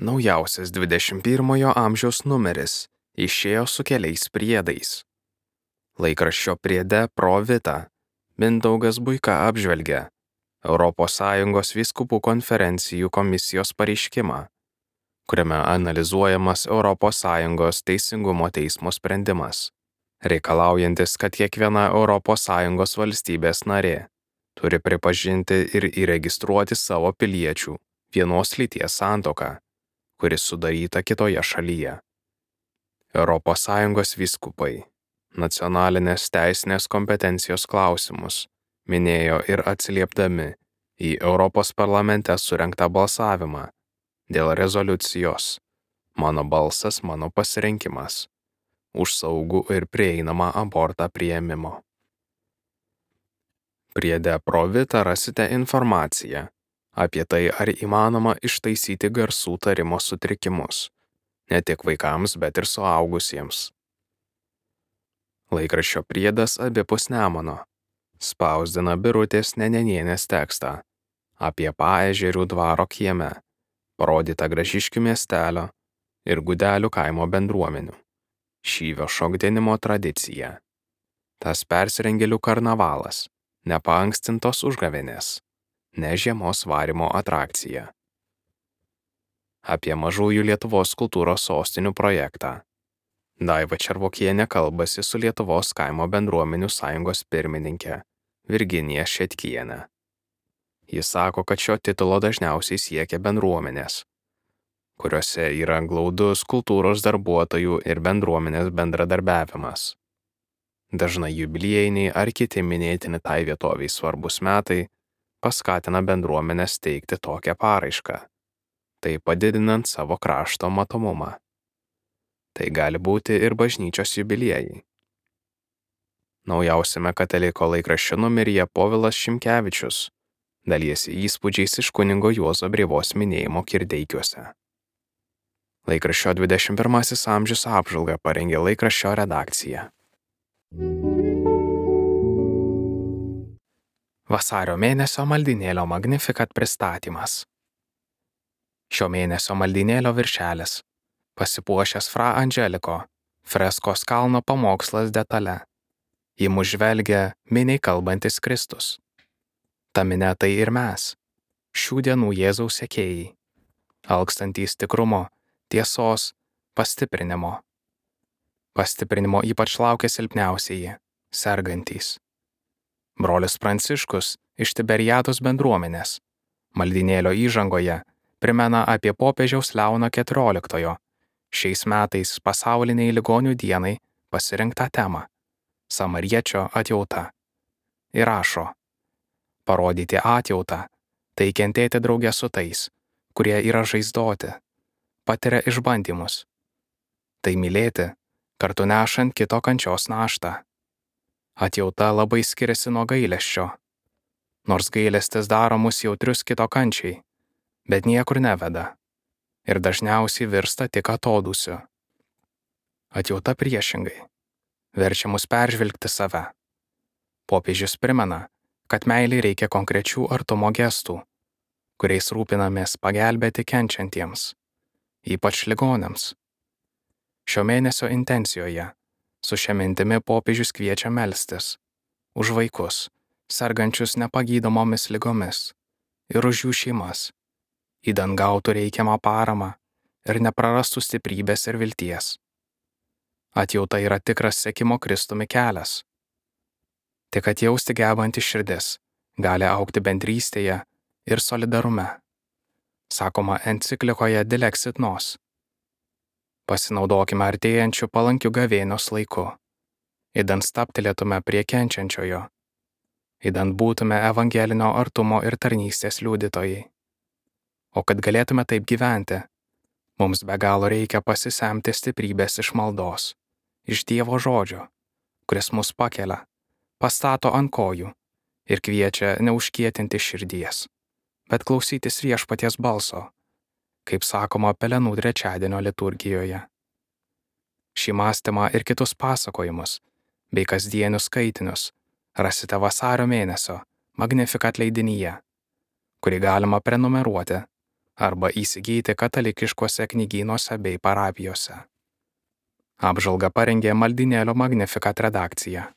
Naujausias 21 amžiaus numeris išėjo su keliais priedais. Laikraščio priede Pro Vita Mindaugas Buika apžvelgia ES vyskupų konferencijų komisijos pareiškimą, kuriame analizuojamas ES teisingumo teismo sprendimas, reikalaujantis, kad kiekviena ES valstybės narė turi pripažinti ir įregistruoti savo piliečių vienos lyties santuoką, kuris sudaryta kitoje šalyje. ES vyskupai nacionalinės teisinės kompetencijos klausimus minėjo ir atsiliepdami į Europos parlamente surengtą balsavimą dėl rezoliucijos "Mano balsas, mano pasirinkimas" už saugų ir prieinamą abortą priėmimo. Priede Pro Vita rasite informaciją apie tai, ar įmanoma ištaisyti garsų tarimo sutrikimus, ne tik vaikams, bet ir suaugusiems. Laikraščio priedas abipus Nemuno spausdina Birutės Nenenienės tekstą apie Paežerių dvaro kieme parodytą Gražiškių miestelio ir Gudelių kaimo bendruomenių šyvio šokdinimo tradiciją. Tas persirengėlių karnavalas, nepaanksintos užgavėnės, ne žiemos varymo atrakcija. Apie mažųjų Lietuvos kultūros sostinių projektą Daiva Červokienė kalbasi su Lietuvos kaimo bendruomenių sąjungos pirmininke Virginija Šetkienė. Jis sako, kad šio titulo dažniausiai siekia bendruomenės, kuriuose yra glaudus kultūros darbuotojų ir bendruomenės bendradarbiavimas. Dažnai jubiliejiniai ar kiti minėtini tai vietoviai svarbus metai paskatina bendruomenės teikti tokią paraišką, tai padidinant savo krašto matomumą. Tai gali būti ir bažnyčios jubiliejai. Naujausiame Kataliko laikraščio numeryje Povilas Šimkevičius dalijasi įspūdžiais iš kunigo Juozo Brėvos minėjimo Kirdeikiuose. Laikraščio 21 amžius apžvalgą parengė laikraščio redakcija. Vasario mėnesio maldynėlio Magnificat pristatymas. Šio mėnesio maldynėlio viršelis pasipuošęs Fra Angeliko freskos kalno pamokslas detale. Į mus žvelgia miniai kalbantis Kristus. Ta minia tai ir mes, šių dienų Jėzaus sekėjai, alkstantys tikrumo, tiesos, pastiprinimo. Pastiprinimo ypač laukia silpniausieji, sergantys. Brolis Pranciškus iš Tiberiados bendruomenės maldynėlio įžangoje primena apie popiežiaus Leono XIV šiais metais pasauliniai ligonių dienai pasirinktą temą – samariečio atjauta. Ir rašo: parodyti atjautą, tai kentėti drauge su tais, kurie yra žaizdoti, patiria išbandymus. Tai mylėti, kartu nešant kito kančios naštą. Atjauta labai skiriasi nuo gailesčio. Nors gailestis daro mus jautrius kito kančiai, bet niekur neveda. Ir dažniausiai virsta tik atodūsiu. Atjauta priešingai verčia mus peržvelgti save. Popiežius primena, kad meilei reikia konkrečių artumo gestų, kuriais rūpinamės pagelbėti kenčiantiems, ypač ligoniams. Šio mėnesio intencijoje su šia mintimi popiežius kviečia melstis už vaikus, sergančius nepagydomomis ligomis, ir už jų šeimas, idant gautų reikiamą paramą ir neprarastų stiprybės ir vilties. Atjauta yra tikras sekimo Kristumi kelias. Tik atjausti gebanti širdis gali augti bendrystėje ir solidarume, sakoma enciklikoje Dilexit Nos. Pasinaudokime artėjančių palankių gavėnios laiku, idant stabtelėtume prie kenčiančiojo, idant būtume evangelinio artumo ir tarnystės liudytojai. O kad galėtume taip gyventi, mums be galo reikia pasisemti stiprybės iš maldos, iš Dievo žodžio, kuris mus pakelia, pastato ant kojų ir kviečia neužkietinti širdies, bet klausytis viešpaties balso, kaip sakoma Pelenų trečiadienio liturgijoje. Šį mąstymą ir kitus pasakojimus bei kasdienius skaitinius rasite vasario mėnesio Magnificat leidinyje, kurį galima prenumeruoti arba įsigyti katalikiškuose knygynuose bei parapijose. Apžvalgą parengė Maldynėlio Magnificat redakcija.